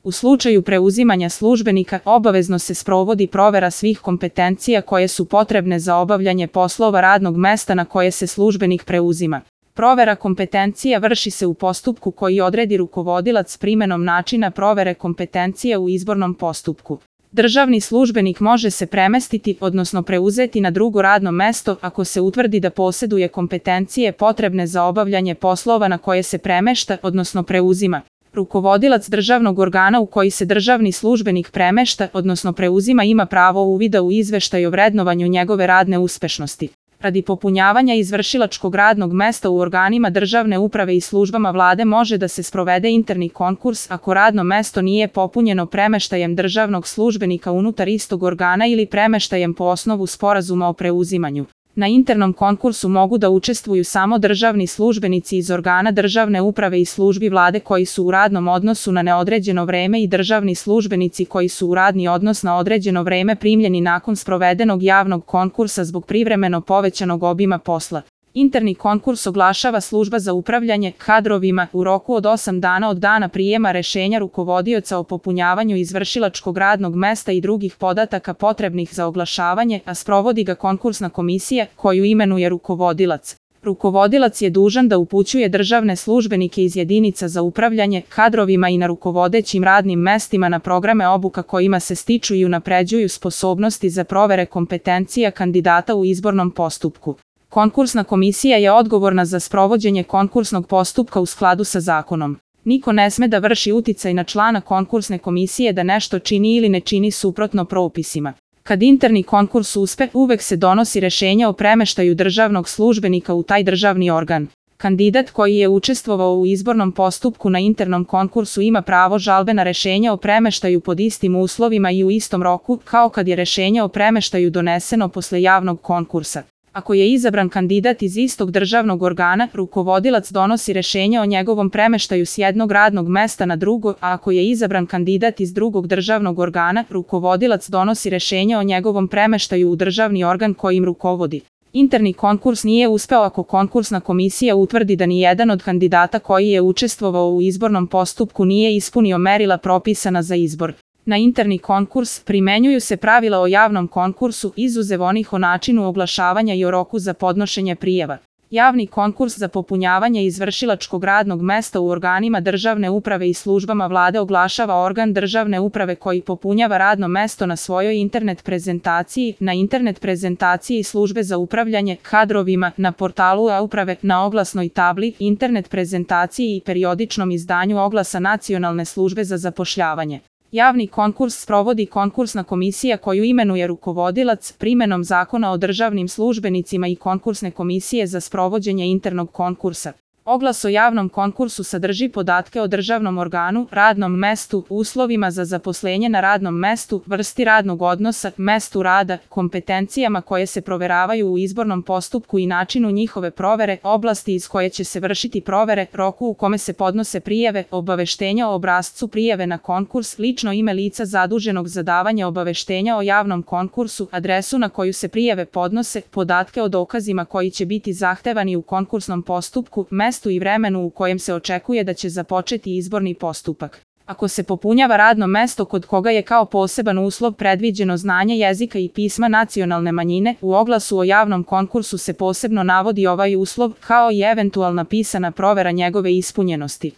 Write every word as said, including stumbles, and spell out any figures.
U slučaju preuzimanja službenika obavezno se sprovodi provera svih kompetencija koje su potrebne za obavljanje poslova radnog mesta na koje se službenik preuzima. Provera kompetencija vrši se u postupku koji odredi rukovodilac primenom načina provere kompetencija u izbornom postupku. Državni službenik može se premestiti, odnosno preuzeti na drugo radno mesto ako se utvrdi da posjeduje kompetencije potrebne za obavljanje poslova na koje se premešta, odnosno preuzima. Rukovodilac državnog organa u koji se državni službenik premešta, odnosno preuzima, ima pravo uvida u izveštaj o vrednovanju njegove radne uspešnosti. Radi popunjavanja izvršilačkog radnog mesta u organima državne uprave i službama vlade može da se sprovede interni konkurs ako radno mesto nije popunjeno premeštajem državnog službenika unutar istog organa ili premeštajem po osnovu sporazuma o preuzimanju. Na internom konkursu mogu da učestvuju samo državni službenici iz organa državne uprave i službi vlade koji su u radnom odnosu na neodređeno vreme i državni službenici koji su u radni odnos na određeno vreme primljeni nakon sprovedenog javnog konkursa zbog privremeno povećanog obima posla. Interni konkurs oglašava služba za upravljanje kadrovima u roku od osam dana od dana prijema rešenja rukovodioca o popunjavanju izvršilačkog radnog mesta i drugih podataka potrebnih za oglašavanje, a sprovodi ga konkursna komisija koju imenuje rukovodilac. Rukovodilac je dužan da upućuje državne službenike iz jedinica za upravljanje kadrovima i na rukovodećim radnim mestima na programe obuka kojima se stiču i unapređuju sposobnosti za provere kompetencija kandidata u izbornom postupku. Konkursna komisija je odgovorna za sprovođenje konkursnog postupka u skladu sa zakonom. Niko ne sme da vrši uticaj na člana konkursne komisije da nešto čini ili ne čini suprotno propisima. Kad interni konkurs uspe, uvek se donosi rešenje o premeštaju državnog službenika u taj državni organ. Kandidat koji je učestvovao u izbornom postupku na internom konkursu ima pravo žalbe na rešenje o premeštaju pod istim uslovima i u istom roku, kao kad je rešenje o premeštaju doneseno posle javnog konkursa. Ako je izabran kandidat iz istog državnog organa, rukovodilac donosi rešenje o njegovom premeštaju s jednog radnog mesta na drugo, a ako je izabran kandidat iz drugog državnog organa, rukovodilac donosi rešenje o njegovom premeštaju u državni organ kojim rukovodi. Interni konkurs nije uspeo ako konkursna komisija utvrdi da ni jedan od kandidata koji je učestvovao u izbornom postupku nije ispunio merila propisana za izbor. Na interni konkurs primenjuju se pravila o javnom konkursu, izuzev onih o načinu oglašavanja i o roku za podnošenje prijava. Javni konkurs za popunjavanje izvršilačkog radnog mesta u organima državne uprave i službama vlade oglašava organ državne uprave koji popunjava radno mesto na svojoj internet prezentaciji, na internet prezentaciji službe za upravljanje kadrovima, na portalu e-uprave, na oglasnoj tabli, internet prezentaciji i periodičnom izdanju oglasa Nacionalne službe za zapošljavanje. Javni konkurs sprovodi konkursna komisija koju imenuje rukovodilac primenom Zakona o državnim službenicima i konkursne komisije za sprovođenje internog konkursa. Oglas o javnom konkursu sadrži podatke o državnom organu, radnom mestu, uslovima za zaposlenje na radnom mestu, vrsti radnog odnosa, mestu rada, kompetencijama koje se proveravaju u izbornom postupku i načinu njihove provere, oblasti iz koje će se vršiti provere, roku u kome se podnose prijave, obaveštenja o obrascu prijave na konkurs, lično ime lica zaduženog za davanje obaveštenja o javnom konkursu, adresu na koju se prijave podnose, podatke o dokazima koji će biti zahtevani u konkursnom postupku, mestu i vremenu u kojem se očekuje da će započeti izborni postupak. Ako se popunjava radno mesto kod koga je kao poseban uslov predviđeno znanje jezika i pisma nacionalne manjine, u oglasu o javnom konkursu se posebno navodi ovaj uslov, kao i eventualna pisana provera njegove ispunjenosti.